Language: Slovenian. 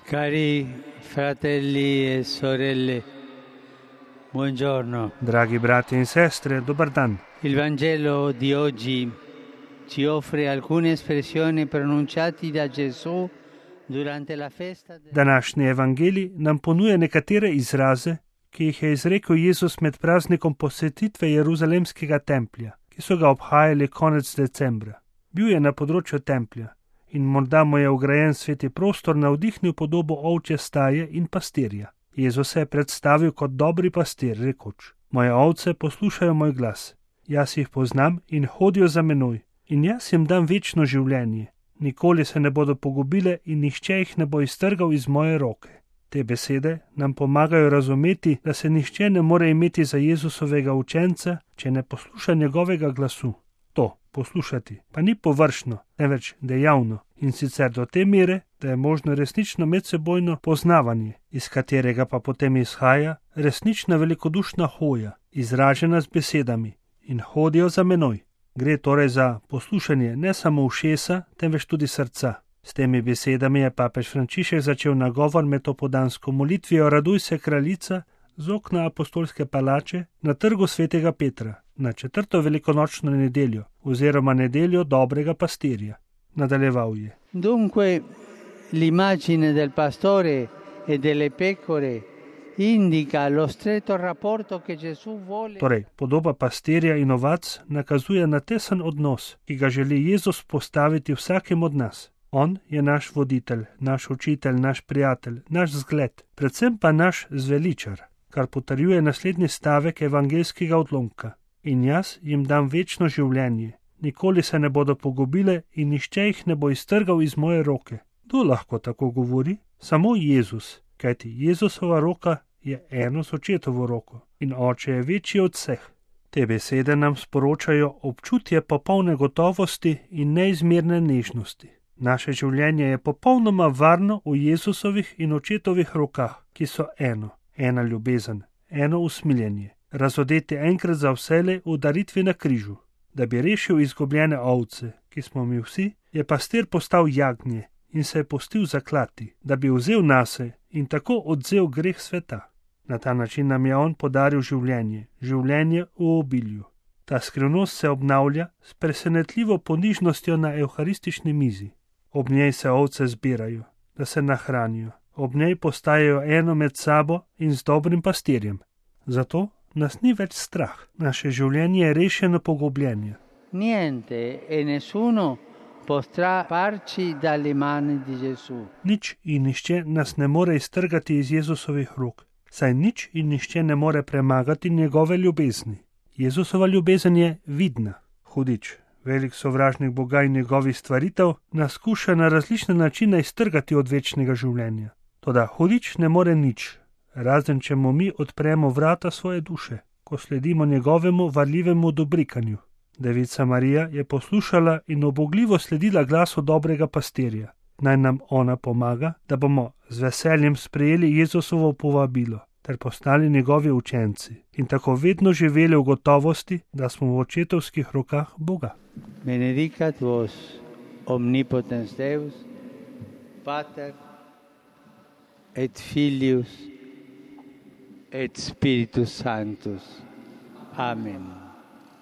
Cari fratelli e sorelle, buongiorno. Dragi brati in sestre, dobar dan. Il Vangelo di oggi ci offre alcune espressioni pronunciate da Gesù durante la festa Današnji evangelij nam ponuja nekatere izraze, ki jih je izrekel Jezus med praznikom posvetitve Jeruzalemskega templja, ki so ga obhajali konec decembra. Bil je na področju templja in morda mu je vgrajen sveti prostor navdihnil podobo ovčje staje in pastirja. Jezus se je predstavil kot dobri pastir, rekoč: Moje ovce poslušajo moj glas, jaz jih poznam in hodijo za menoj, in jaz jim dam večno življenje. Nikoli se ne bodo pogubile in nihče jih ne bo iztrgal iz moje roke. Te besede nam pomagajo razumeti, da se nihče ne more imeti za Jezusovega učenca, če ne posluša njegovega glasu. To, poslušati, pa ni površno, temveč dejavno, in sicer do te mere, da je možno resnično medsebojno poznavanje, iz katerega pa potem izhaja resnična velikodušna hoja, izražena z besedami: in hodijo za menoj. Gre torej za poslušanje ne samo ušesa, temveč tudi srca. S temi besedami je papež Frančišek začel nagovor med opoldansko molitvijo Raduj se kraljica z okna apostolske palače na trgu svetega Petra, na 4. velikonočno nedeljo oziroma nedeljo dobrega pastirja. Nadaljeval je: Dunque, l'immagine del pastore e delle pecore indica lo stretto rapporto che Gesù vuole. Torej, podoba pastirja in ovac nakazuje na tesen odnos, ki ga želi Jezus postaviti vsakem od nas. On je naš voditelj, naš učitelj, naš prijatelj, naš zgled, predvsem pa naš zveličar, kar potrjuje naslednji stavek evangeljskega odlomka: in jaz jim dam večno življenje, nikoli se ne bodo pogubile in nihče jih ne bo iztrgal iz moje roke. Kdo lahko tako govori? Samo Jezus, kajti Jezusova roka je eno s očetovo roko in oče je večji od vseh. Te besede nam sporočajo občutje popolne gotovosti in neizmerne nežnosti. Naše življenje je popolnoma varno v Jezusovih in očetovih rokah, ki so eno, ena ljubezen, eno usmiljenje, razodeti enkrat za vselej v daritvi na križu. Da bi rešil izgubljene ovce, ki smo mi vsi, je pastir postal jagnje in se je pustil zaklati, da bi vzel nase in tako odvzel greh sveta. Na ta način nam je on podaril življenje, življenje v obilju. Ta skrivnost se obnavlja s presenetljivo ponižnostjo na evharistični mizi. Ob njej se ovce zbirajo, da se nahranijo. Ob njej postajajo eno med sabo in z dobrim pastirjem. Zato nas ni več strah. Naše življenje je rešeno pogubljenja. Niente e nessuno potrà farci dalle mani di Gesù. Nič in nihče nas ne more iztrgati iz Jezusovih rok, saj nič in nihče ne more premagati njegove ljubezni. Jezusova ljubezen je vidna. Hudič, velik sovražnik Boga in njegovih stvaritev, nas skuša na različne načine iztrgati od večnega življenja. Toda hudič ne more nič, razen če mu mi odpremo vrata svoje duše, ko sledimo njegovemu varljivemu dobrikanju. Devica Marija je poslušala in ubogljivo sledila glasu dobrega pastirja. Naj nam ona pomaga, da bomo z veseljem sprejeli Jezusovo povabilo ter postali njegovi učenci in tako vedno živeli v gotovosti, da smo v očetovskih rokah Boga. Benedicat vos omnipotens Deus, Pater et Filius et Spiritus Sanctus. Amen.